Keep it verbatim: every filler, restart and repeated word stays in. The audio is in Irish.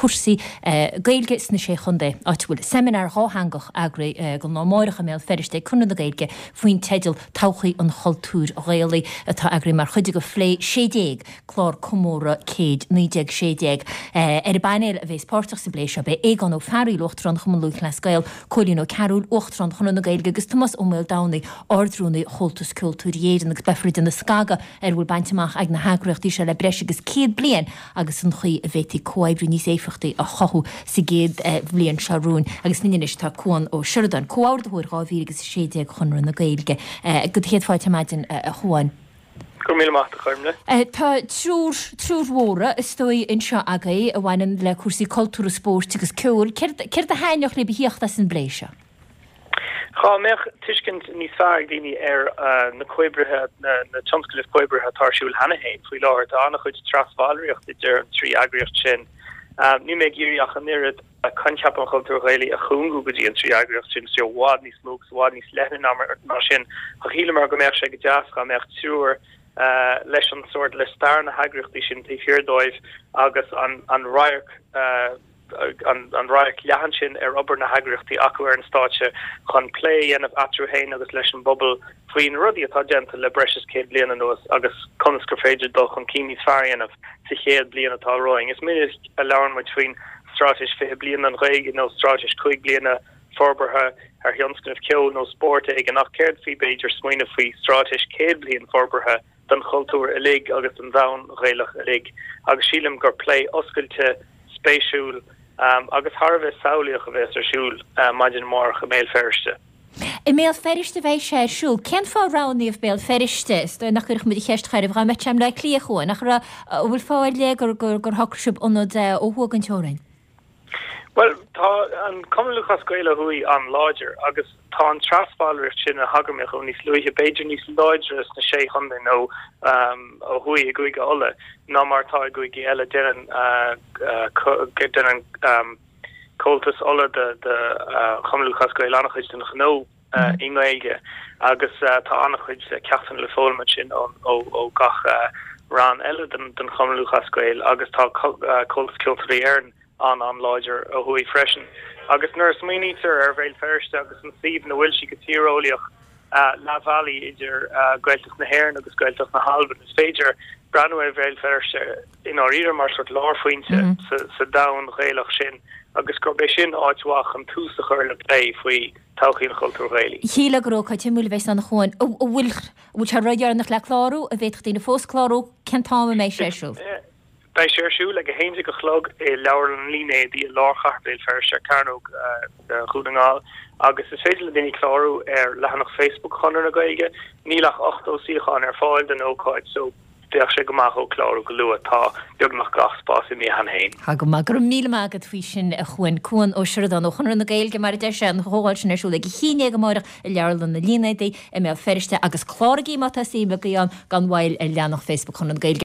cúrsaí Gaeilge sna Sé Chontae, áit a bhfuil seimineár dhátheangach eagraithe don lá amárach i mBéal Feirste ag Conradh na Gaeilge faoin teideal Todhchaí an Chultúir Ghaelaigh atá eagraithe mar chuid de Phlé sé déag, clár comóradh céid naoi déag sé déag. Ar an bpainéal a bheas páirteach sa bplé seo beidh Aogán Ó Fearraíl, Uachtarán Chumann Lúthchleas Gael, Cóilín Ó Cearúil, Uachtarán Chonradh na Gaeilge agus Tomás Ó Maoldomhnaigh, Ard-Rúnaí Chomhaltas Ceoltóirí Éireann agus beifear ag déanamh scagadh ar a bhfuil bainte amach ag na heagraíochtaí seo le breis agus céad bliain agus an chaoi a bhféadfaí comhoibriú níos éifeachtaí a chothú sa gcéad bhliain seo romhainn. Agus linn anois tá Cuan Ó Seireadáin, Comhordaitheoir dhá mhíle agus a sé déag Chonradh na Gaeilge. Go do chéad fáilte ar maidin, a Chuáin. Go raibh míle maith agat, a Choirmle. Tá triúr, triúr mhóra, is dóigh, anseo agaibh a bhaineann le cúrsaí cultúrtha, spóirt agus ceoil. Céard, céard a thaitneodh libh a thíocht as an bplé seo? Dhá mbeadh tuiscint níos fearr ag daoine ar na comhoibrithe, na tionscnaimh comhoibrithe atá ar siúl cheana féin faoi láthair. Tá an-chuid trasbhallraíocht idir an trí eagraíocht sin. Níl mé ag iarraidh ach an oiread coincheap an chultúir Ghaelaigh a chúngú go dtí an trí eagraíocht sin, tá sé i bhfad níos mó agus i bhfad níos leithne ná sin. Ach shíleamar go mbeadh sé go deas dhá mbeadh triúr leis an sórt, le stair na heagraíochtaí sin taobh thiar dóibh agus an radharc, an radharc leathan sin ar obair na heagraíochtaí acu ar an stáitse chun plé a dhéanamh eatarthu féin agus leis an bpobal faoi na rudaí atá déanta le breis is céad bliain anuas agus conas gur féidir dul chun cinn níos fearr a dhéanamh sa chéad bliain atá romhainn. Is minic a labhrann muid faoin Straitéis fiche Bliain don Ghaeilge nó Straitéis cúig bliana forbartha ar thionscnamh ceoil nó spóirt éigin ach céard faoi b'fhéidir smaoineamh faoi Straitéis céad bliain forbartha don chultúr uilig agus don domhan Ghaelach uilig agus sílim gur plé oscailte, spéisiúil agus thar a bheith samhlaíoch a bheas ar siúl maidin amárach i mBéal Feirste. I mBéal Feirste a bheidh sé ar siúl. Cén fáth ar roghnaíodh Béal Feirste? Is dóigh nach gcuirfeadh muid an cheist chuirfeadh dhá mbeadh sé i mBleá Cliath chugainn. Ach an bhfuil fáth ar leith gur gur shocraigh sibh ionad ó thuaidh den teorainn? Bhuel, tá an Cumann Lúthchleas Gael ó thuaidh an-láidir agus tá an trasbhallraíocht sin a thagair mé dó níos luaithe, b'fhéidir níos láidre sna Sé Chontae nó ó thuaidh i gCúige Uladh ná mar atá i gcúigí eile. Déanann déanann Comhaltas Uladh de Chumann Lúthchleas Gael an-chuid den ghnó i nGaeilge agus tá an-chuid ceachtanna le foghlaim ansin ó gach rann eile den Chumann Lúthchleas Gael agus tá Comhaltas Ceoltóirí Éireann an-an-láidir ó thuaidh freisin. Agus nuair a smaoinítear ar Bhéal Feirste agus an suíomh ina bhfuil sí go tíreolaíoch, leath bhealaigh idir Gaeltacht na hÉireann agus Gaeltacht na hAlban, is féidir breathnú ar Bhéal Feirste i ndáiríre mar sórt lárphointe sa domhan Ghaelach sin agus gurb é sin áit mhaith chun tús a chur le plé faoi todhchaí an chultúir Ghaelaigh. Shílfeá gur ócáid shuimiúil a bheas ann a Chuáin. An bhfuil sé ródheireanach le clárú? An bhféadfadh daoine fós clárú? Cén t-am a mbeidh sé ar siúl? Beidh sé ar siúl ag a haon déag a chlog i Leabharlann an Línéadaigh i lár chathair Bhéal Feirste ar Chearnóg Dhún na nGall agus is féidir le daoine clárú ar leathanach Facebook Chonradh na Gaeilge. Níl ach ochtó suíochán ar fáil don ócáid so bheadh sé go maith clárú go luath. Tá beagnach gach spás imithe cheana féin. Tá go maith. Go raibh míle maith agat faoi sin a Chuain. Cuan Ó Seireadáin ó Chonradh na Gaeilge mar a deir sé, an chomhdháil sin ar siúl ag a haon déag amáireach i Leabharlann na Línéadaí i mBéal Feirste agus cláraigí má tá suim agaibh ann gan mhoill ar leathanach Facebook Chonradh na Gaeilge.